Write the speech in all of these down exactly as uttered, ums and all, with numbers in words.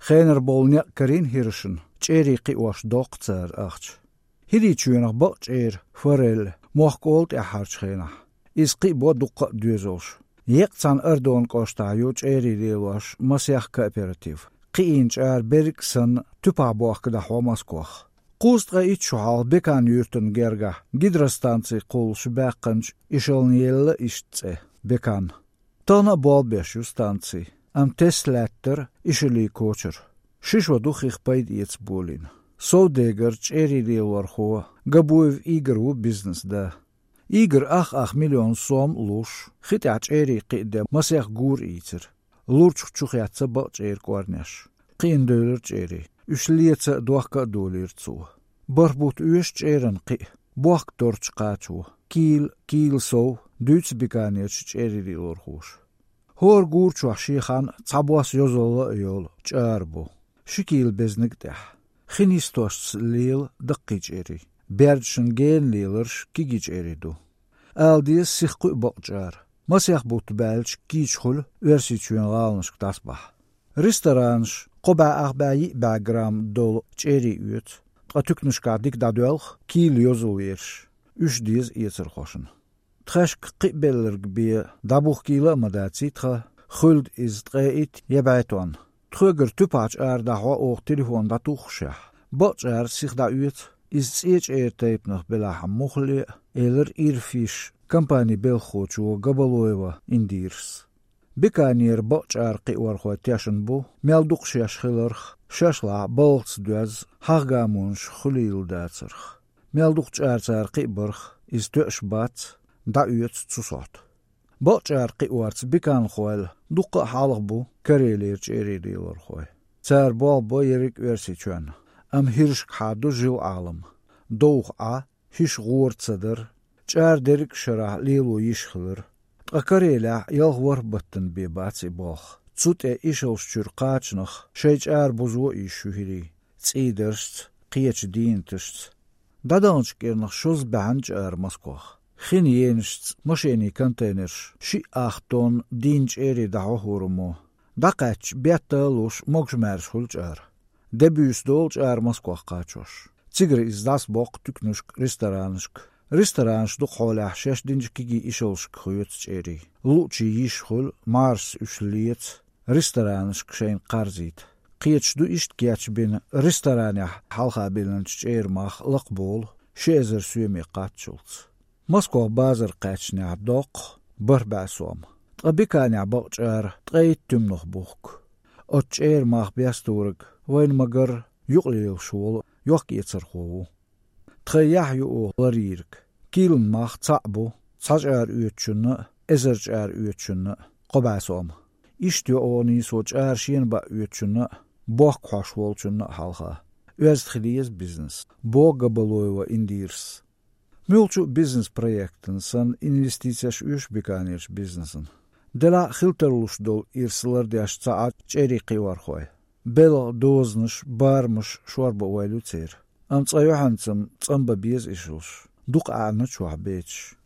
Хенара болу некъ карийна хӀирашна, чӀерий кхиош доккху цара ахча. ХӀирийчоьнах бакъ чӀера, форель, мохк олу тӀаьххьарчу хенахь. Иза кхиабо дуккха а доьзалш. Еккъа цхьана Ардон кӀоштахь ю чӀерий лелош масех кооператив. Кхиийна чӀара берриг а санна, туьпахь бохка дӀахьо Москвах. Кхузткъе итт шо хьалха Бекан-Юьртан гергахь гидростанци кхуллуш баьккхинчу ишална елла иштта цӀе Бекан. Тахана а болх беш ю станци, амма тесна лаьттара ишаллий кочара. Ши шо ду хих пайда эца болийна. Совдегар, чӀерий лелорхо Габуев Игорь ву бизнес да. Игорь ах-ах миллион сом а луш, хи тӀехь чӀерий кхиаден масех гора ийцира. Лурчух чу хецна бакъ чӀеран кӀорнеш. Кхиъна девлира чӀерий. Уьш леца а, дохка а долийра цо. БархӀ бутт оьшу чӀеран кхиа, бохка торчу кхачо. Кийла, кийла сов дуьйцу Беканерчу чӀерий лелорхоша. ХӀора гора чохь шен хан цхьабосса йозалла а йолу чӀара бу. Ши кийла безниг а тӀехь. Хи нисдошца лела даккхий чӀерий. Бердашна гена леларш кегий чӀерий ду. Ала деза, сих кхуьу бакъ чӀара. Масех бутт баьлча кийча хуьлу Оьрсийчоьнан гӀаланашка дӀасабахь. Ресторанаш кхо бӀе ах бӀе йиъ бӀе грамм долу чӀерий оьцу, ткъа туькнашкахь дика дӀадоьлху кийла йозалла ерш. Уьш деза эцархошна. Тхаьшка кхиабелларг бен дӀабуха кийла а ма даций тхан, хуьлда иза ткъе итт я бӀе тонна. Тхоьгара туьпахь чӀара дӀахьо оха телефон дӀатуххушехь, бакъ чӀара сиха дӀаоьцу, иза цӀе чӀеран тайпанах белахь а муххале а, элира Ирфиш компанин белхахочо Габалоева Индирас. Беканера бакъ чӀара кхиорхой тешна бу, мел дукха шаьш хиларх, шаьш лахь балхаца доьзна, хьагӀ гамонаш хуьлийла дацарх. Мел дукха чӀара цара кхиабарх, иза тоьаш бац, дӀаоьцу цу сохьта. Бакъ чӀара кхиорца беканхойла дуккха а хьалха бу Карелера чӀерий лелорхой. Цара болх бо ерриг Оьрсийчоьнна, амма хӀирашкахьа ду жил Ӏалам. Довха Ӏа, хӀуьш гӀора ца дара, чӀара дерриг а шарахь лело йиш хилира. Ткъа Карелехь ялх-ворхӀ баттана бен бац и болх. Цу тӀе ишалш чуьра кхачанах шайн чӀара бузо а йиш ю хӀирийн, цӀийдаршца, кхечу дийнаташца. ДӀадаханчу кӀирнах шозза баьхьна чӀара Москвах. Хин енашца машенийн контейнерш шиъ ах тонна дийнна чӀерий дӀахьо хӀораммо. ДӀакхаьчча, бетта а луш, могуш-маьрша хуьлу чӀара. Де буьйса долу чӀара Москвах кхачош. Цигара иза дӀасабоккху туькнашка, ресторанашка. Ресторанаш дукха хьолехь шаьш динчу кегий ишалшка хоьцу чӀерий. Луучийн йиш хуьлу, маршас уьш леца, ресторанашка шайна кхарзийта. Кхеташ ду иштта кечбина ресторанехь хьалха биллинчу чӀеран мах лакхаболу, ши эзар соьме кхаччалц. Москвах базар кхаьчнехь доккху, бархӀ бӀе сом. Ткъа Беканехь бакъ чӀара ткъе итт туьманах бухку. Оцу чӀеран мах бесториг вайна ма-гарра юкъалелаш волу йохк-эцархо ву. Тхайн яхь ю оха ларйийриг. Кийлан мах цхьаъ бу, цхьа чӀара оьцучунна а, эзар чӀара оьцучунна а, кхо бӀе сом. Иштта йо оха нийсо чӀара шена баа оьцучунна а, бохка хьош волчунна а хьалха. Оьзда хила еза бизнес, боху Габалоева Индирас. Муьлххачу а бизнес-проектана санна инвестицеш оьшу Беканерчу бизнесана. Делахь а хила тарлуш долу ирс лардеш ца Ӏа чӀерий кхиорхой. Белхан дозанаш, барамаш шорбан ойла ю церан. Амма цкъа юьхьанца-м цӀанбан беза ишалш, дукха аьӀна чохь бецаш.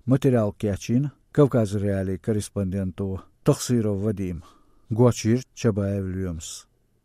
Материал кечйина Кавказ.Реалии корреспонденто Тахсиров Вадима, гочйира Чабаев Лоьмас.